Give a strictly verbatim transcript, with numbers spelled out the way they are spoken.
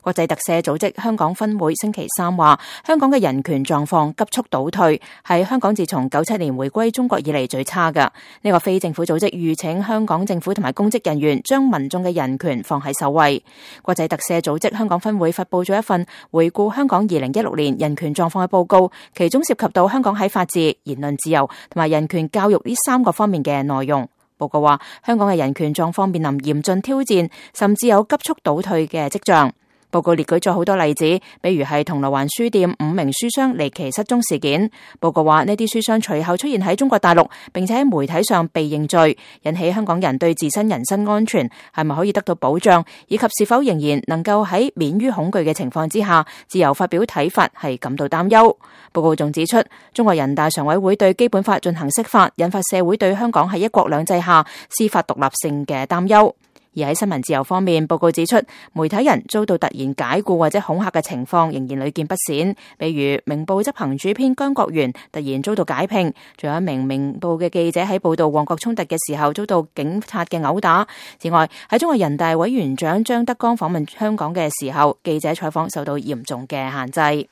國際特赦組織香港分會星期三話，香港嘅人權狀況急速倒退，係香港自從九七年回歸中國以嚟最差㗎。呢個非政府組織籲請香港政府同埋公職人員將民眾嘅人權放喺首位。國際特赦組織香港分會發佈咗一份回顧香港二零一六年人權狀況嘅報告，其中涉及到香港喺法治、言論自由同埋人權教育呢三個方面嘅內容。報告話，香港嘅人權狀況面臨嚴峻挑戰，甚至有急速倒退嘅跡象。報告列舉咗好多例子，比如係銅鑼灣書店五名書商離奇失蹤事件。報告話呢啲書商隨後出現喺中國大陸，並且喺媒體上被認罪，引起香港人對自身人身安全係咪可以得到保障，以及是否仍然能夠喺免於恐懼嘅情況之下自由發表睇法係感到擔憂。報告仲指出，中國人大常委會對基本法進行釋法，引發社會對香港喺一國兩制下司法獨立性嘅擔憂。而喺新聞自由方面，報告指出，媒體人遭到突然解雇或者恐嚇嘅情況仍然屢見不鮮。比如明報執行主編姜國元突然遭到解聘，仲有一名明報嘅記者喺報道旺角衝突嘅時候遭到警察嘅毆打。此外，喺中國人大委員長張德江訪問香港嘅時候，記者採訪受到嚴重嘅限制。